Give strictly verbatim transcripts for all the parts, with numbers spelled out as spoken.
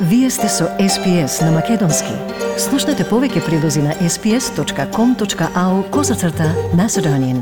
Вие сте со Ес Пи Ес на Македонски. Слушнете повеќе прилози на ес пи ес точка ком точка ау козацрта Macedonian.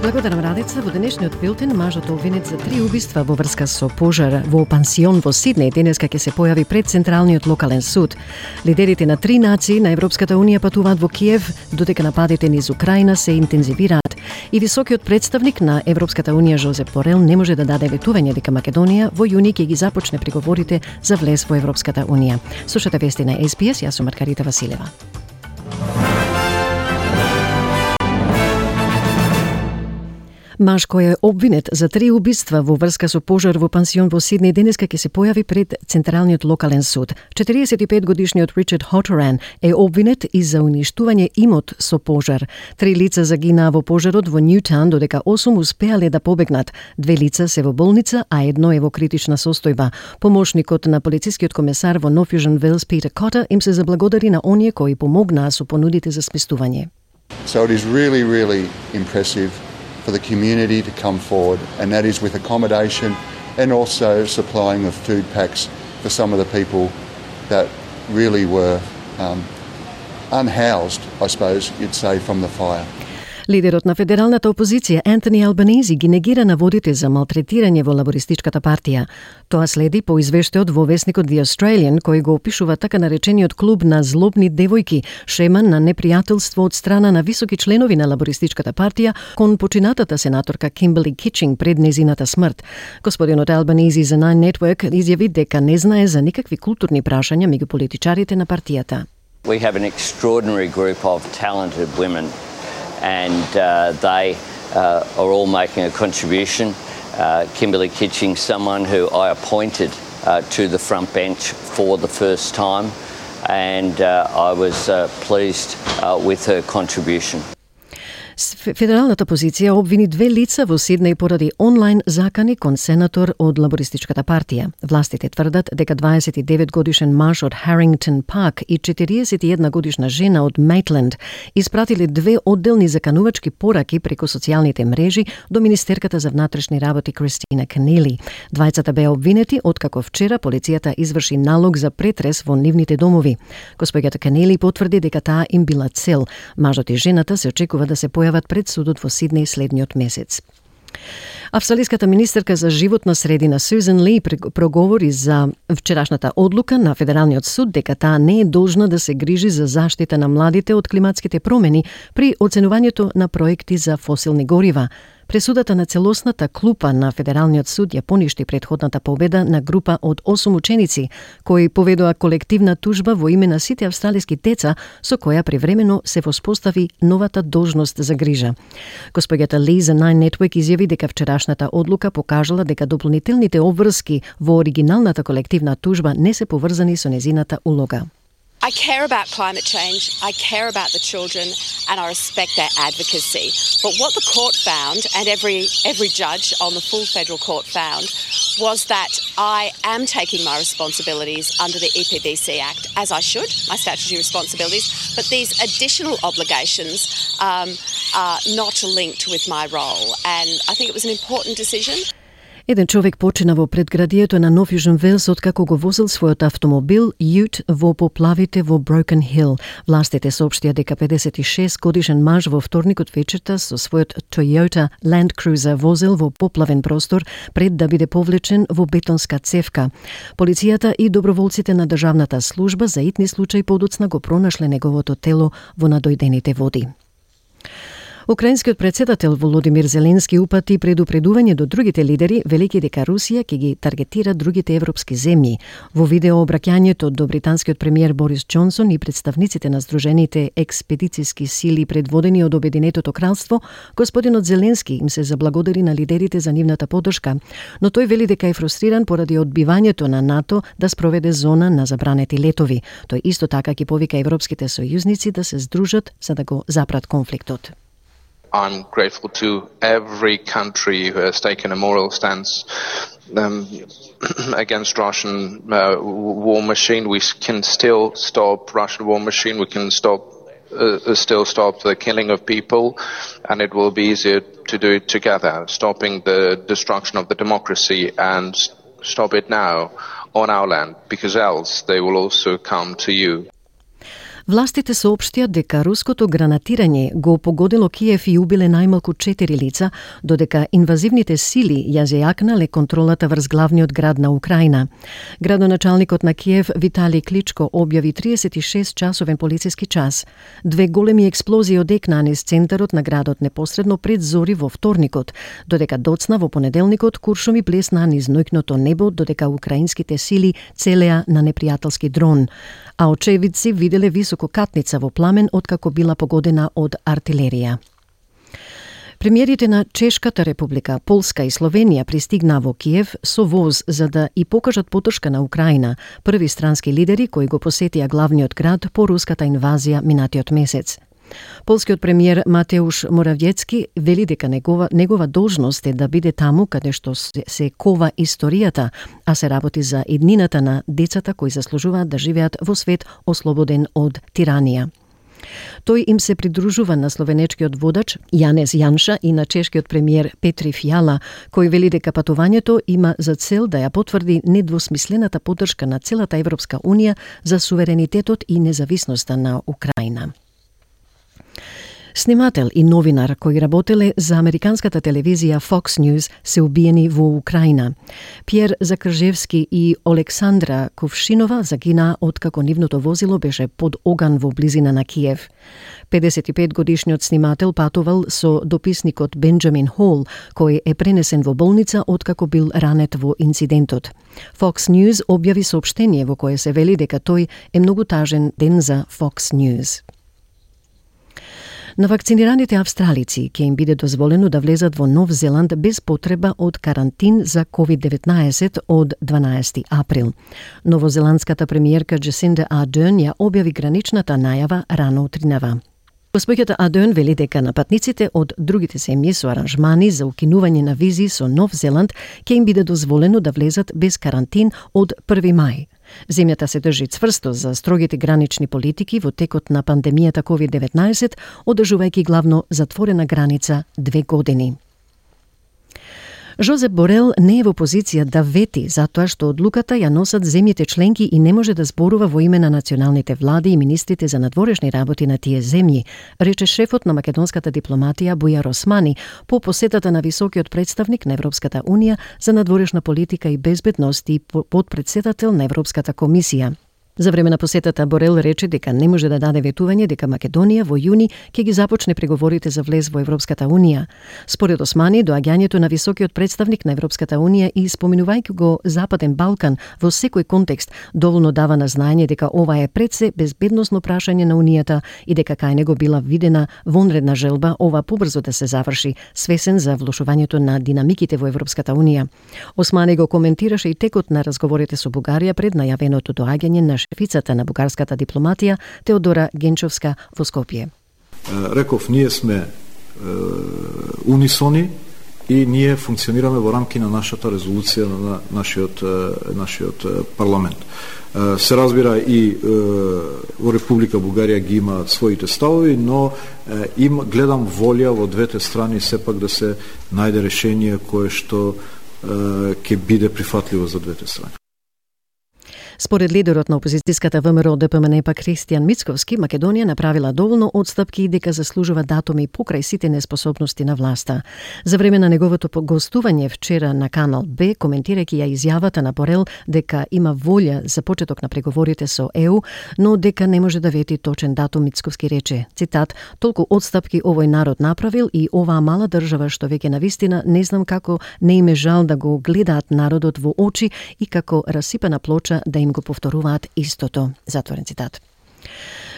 Благодарам, Радица. Во денешниот билтен мажот обвинет за три убиства во врска со пожар во пансион во Сиднеј денеска ќе се појави пред Централниот локален суд. Лидерите на три нации на Европската унија патуваат во Киев, додека нападите низ Украина се интензивираат. И високиот представник на Европската унија Жозеп Борел не може да даде ветување дека Македонија во јуни ќе ги започне преговорите за влез во Европската унија. Слушате вести на Ес Пи Ес, јас сум Маргарита Василева. Маж кој е обвинет за три убиства во врска со пожар во пансион во Сиднеј денеска ќе се појави пред Централниот локален суд. четириесет и пет годишниот Ричард Хоторан е обвинет и за уништување имот со пожар. Три лица загинаа во пожарот во Ньютаун, додека осум успеале да побегнат. Две лица се во болница, а едно е во критична состојба. Помошникот на полицискиот комесар во North Fusion Vales Питер Кота им се заблагодари на оние кои помогнаа со понудите за сместување. So it is really, really impressive for the community to come forward, and that is with accommodation and also supplying of food packs for some of the people that really were um, unhoused, I suppose you'd say, from the fire. Лидерот на федералната опозиција Ентони Албанези ги негира наводите за малтретирање во лабористичката партија. Тоа следи по извештајот во весникот The Australian, кој го опишува така наречениот клуб на злобни девојки, шема на непријателство од страна на високи членови на лабористичката партија кон починатата сенаторка Кимберли Кичинг пред незината смрт. Господинот Албанези за Nine Network изјави дека не знае за никакви културни прашања меѓу политичарите на партијата. We have an extraordinary group of talented women, and uh, they uh, are all making a contribution. Uh, Kimberly Kitching, someone who I appointed uh, to the front bench for the first time, and uh, I was uh, pleased uh, with her contribution. Федералната позиција обвини две лица во Сиднеј поради онлайн закани кон сенатор од лабористичката партија. Властите тврдат дека дваесет и девет годишен маж од Харингтон Парк и четириесет и една годишна жена од Мейтленд испратиле две одделни заканувачки пораки преку социјалните мрежи до Министерката за внатрешни работи Кристина Канели. Двајцата беа обвинети откако вчера полицијата изврши налог за претрес во нивните домови. Господјата Канели потврди дека таа им била цел. Мажот и жената се очекува да се појават пред судот во Сиднеј следниот месец. Австралиската министерка за животна средина Сюзан Ли проговори за вчерашната одлука на Федералниот суд дека таа не е должна да се грижи за заштита на младите од климатските промени при оценувањето на проекти за фосилни горива. Пресудата на целосната клупа на Федералниот суд ја поништи претходната победа на група од осум ученици, кои поведоа колективна тужба во име на сите австралиски деца, со која привремено се воспостави новата должност за грижа. Господјата Ли за Nine Network изјави дека вчерашната одлука покажала дека дополнителните обврски во оригиналната колективна тужба не се поврзани со незината улога. I care about climate change, I care about the children, and I respect their advocacy. But what the court found, and every every judge on the full federal court found, was that I am taking my responsibilities under the E P B C Act, as I should, my statutory responsibilities, but these additional obligations um, are not linked with my role. And I think it was an important decision. Еден човек почина во предградието на North Fusion Vales откако го возил својот автомобил Ute во поплавите во Broken Hill. Властите соопштија дека педесет и шест годишен маж во вторникот вечерта со својот Toyota Land Cruiser возил во поплавен простор пред да биде повлечен во бетонска цевка. Полицијата и доброволците на државната служба за итни случаи подоцна го пронашле неговото тело во надојдените води. Украинскиот претседател Володимир Зеленски упати предупредување до другите лидери, велики дека Русија ќе ги таргетира другите европски земји. Во видео обраќањето до британскиот премиер Борис Џонсон и представниците на Сдружените експедициски сили предводени од Обединетото кралство, господинот Зеленски им се заблагодари на лидерите за нивната поддршка, но тој вели дека е фрустриран поради одбивањето на НАТО да спроведе зона на забранети летови. Тој исто така ќе повика европските сојузници да се здружат за да го запрат конфликтот. I'm grateful to every country who has taken a moral stance um, against Russian uh, war machine. We can still stop Russian war machine. We can stop uh, still stop the killing of people, and it will be easier to do it together, stopping the destruction of the democracy, and stop it now on our land, because else they will also come to you. Властите соопштија дека руското гранатирање го погодило Киев и убиле најмалку четири лица, додека инвазивните сили ја зајакнале контролата врз главниот град на Украина. Градоначалникот на Киев Витали Кличко објави триесет и шест часовен полициски час. Две големи експлозии одекнаа низ центарот на градот непосредно пред зори во вторникот, додека доцна во понеделникот куршуми блеснаа низ ноќното небо, додека украинските сили целеа на непријателски дрон, а очевидци виделе висококатница во пламен откако била погодена од артилерија. Премиерите на Чешката република, Полска и Словенија пристигнаа во Киев со воз за да и покажат поддршка на Украина, први странски лидери кои го посетија главниот град по руската инвазија минатиот месец. Полскиот премиер Матеуш Моравјецки вели дека негова, негова должност е да биде таму каде што се, се кова историјата, а се работи за иднината на децата кои заслужуваат да живеат во свет ослободен од тиранија. Тој им се придружува на словенечкиот водач Јанез Јанша и на чешкиот премиер Петри Фијала, кој вели дека патувањето има за цел да ја потврди недвосмислената поддршка на целата Европска унија за суверенитетот и независноста на Украина. Снимател и новинар кои работеле за американската телевизија Fox News се убиени во Украина. Пјер Закржевски и Олександра Ковшинова загинаа откако нивното возило беше под оган во близина на Киев. педесет и пет годишниот снимател патувал со дописникот Бенџамин Хол, кој е пренесен во болница откако бил ранет во инцидентот. Fox News објави соопштение во кое се вели дека тој е многу тажен ден за Fox News. На вакцинираните австралици ќе им биде дозволено да влезат во Нов Зеланд без потреба од карантин за ковид деветнаесет од дванаесети април. Новозеландската премиерка Джесинда Ардерн ја објави граничната најава рано утринава. Госпоѓата Ардерн вели дека на патниците од другите земји со аранжмани за укинување на визи со Нов Зеланд ќе им биде дозволено да влезат без карантин од први мај. Земјата се држи цврсто за строгите гранични политики во текот на пандемијата ковид деветнаесет, одржувајќи главно затворена граница две години. Жозеп Борел не е во позиција да вети затоа што одлуката ја носат земјите членки и не може да зборува во име на националните влади и министрите за надворешни работи на тие земји, рече шефот на македонската дипломатија Бујар Османи по посетата на високиот представник на Европската унија за надворешна политика и безбедност и подпредседател на Европската комисија. За време на посетата Борел рече дека не може да даде ветување дека Македонија во јуни ќе ги започне преговорите за влез во Европската унија. Според Османи, доаѓањето на високиот представник на Европската унија и споминувајќи го Западен Балкан во секој контекст доволно дава на знаење дека ова е пред се безбедносно прашање на унијата и дека кај него била видена вонредна желба ова побрзо да се заврши, свесен за влошувањето на динамиките во Европската унија. Османи го коментираше и текот на разговорите со Бугарија пред најавеното доаѓање на шефицата на бугарската дипломатија Теодора Генчовска во Скопје. Реков, ние сме е, унисони и ние функционираме во рамки на нашата резолуција на нашиот, нашиот парламент. Се разбира и во Република Бугарија ги има своите ставови, но им гледам волја во двете страни сепак да се најде решение кое што ќе биде прифатливо за двете страни. Според лидерот на опозицијската ВМРО Д П М Н П Христијан Мицковски, Македонија направила доволно отстапки и дека заслужува датуми покрај сите неспособности на власта. За време на неговото гостување вчера на Канал Б, коментирајќи ја изјавата на Борел дека има волја за почеток на преговорите со Е У, но дека не може да вети точен датум, Мицковски рече, цитат, толку отстапки овој народ направил и оваа мала држава што веќе навистина не знам како не им е жал да го гледаат народот во очи и како расипана плоча да им го повторуваат истото. Затворен цитат.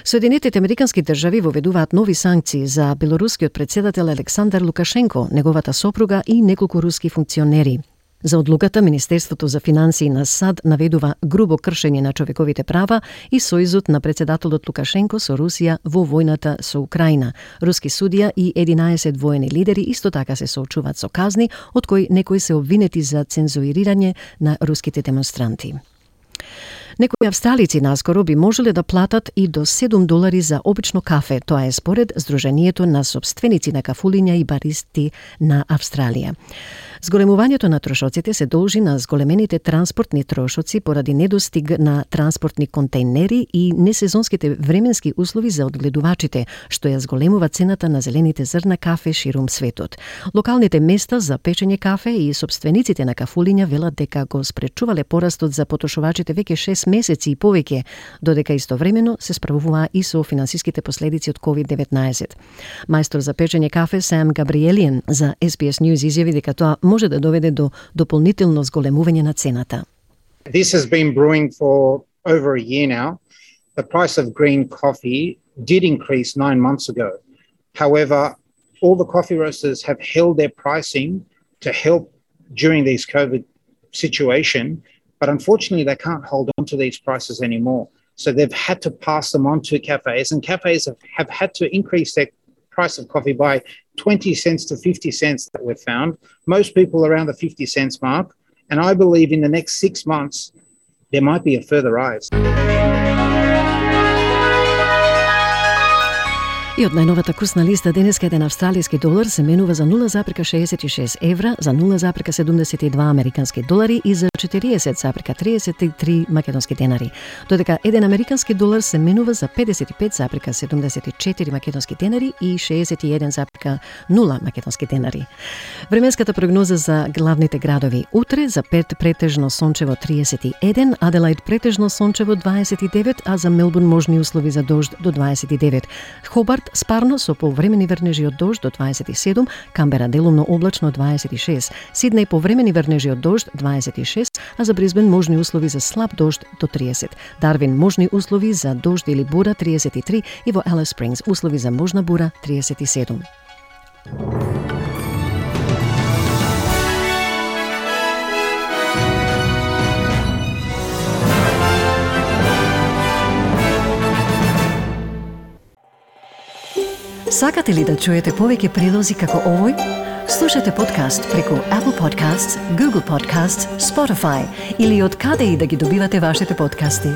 Соединетите американски држави воведуваат нови санкции за белорускиот председател Александар Лукашенко, неговата сопруга и неколку руски функционери. За одлуката, Министерството за финансии на САД наведува грубо кршење на човековите права и сојузот на председателот Лукашенко со Русија во војната со Украина. Руски судија и единаесет воени лидери исто така се соочуваат со казни, од кои некои се обвинети за цензурирање на руските демонстранти. Некои австралици наскоро би можеле да платат и до седум долари за обично кафе. Тоа е според Сдруженијето на сопственици на кафулиња и баристи на Австралија. Зголемувањето на трошоците се должи на зголемените транспортни трошоци поради недостиг на транспортни контейнери и несезонските временски услови за одгледувачите, што ја зголемува цената на зелените зрна кафе ширум светот. Локалните места за печење кафе и сопствениците на кафулиња велат дека го спречувале порастот за потрошувачите веќе шест месеци и повеќе, додека истовремено се справуваа и со финансиските последици од ковид деветнаесет. Мајстор за печење кафе Сам Габриелиен за Ес Би Ес News изјави дека тоа може да доведе до дополнително зголемување на цената. This has been brewing for over a year now. The price of green coffee did increase nine months ago. However, all the coffee roasters have held their pricing to help during this COVID situation, but unfortunately they can't hold on to these prices anymore. So they've had to pass them on to cafes, and cafes have, have had to increase their price of coffee by twenty cents to fifty cents that we've found. Most people around the fifty cents mark. And I believe in the next six months, there might be a further rise. И од најновата курсна листа денеска еден австралиски долар се менува за нула запирка шеесет и шест евра, за нула запирка седумдесет и два американски долари и за четириесет запирка триесет и три македонски денари. Додека еден американски долар се менува за педесет и пет запирка седумдесет и четири македонски денари и шеесет и еден запирка нула македонски денари. Временската прогноза за главните градови: утре за Перт претежно сончево триесет и еден, Аделаид претежно сончево дваесет и девет, а за Мелбурн можни услови за дожд до дваесет и девет. Хобарт спарно со повремени врнежи од дожд до дваесет и седум, Камбера делумно облачно дваесет и шест, Сиднеј повремени врнежи од дожд дваесет и шест, а за Брисбен можни услови за слаб дожд до триесет. Дарвин можни услови за дожд или бура триесет и три и во Алис Спрингс услови за можна бура триесет и седум. Сакате ли да чуете повеќе прилози како овој? Слушате подкаст преку Apple Podcasts, Google Podcasts, Spotify или од каде и да ги добивате вашите подкасти.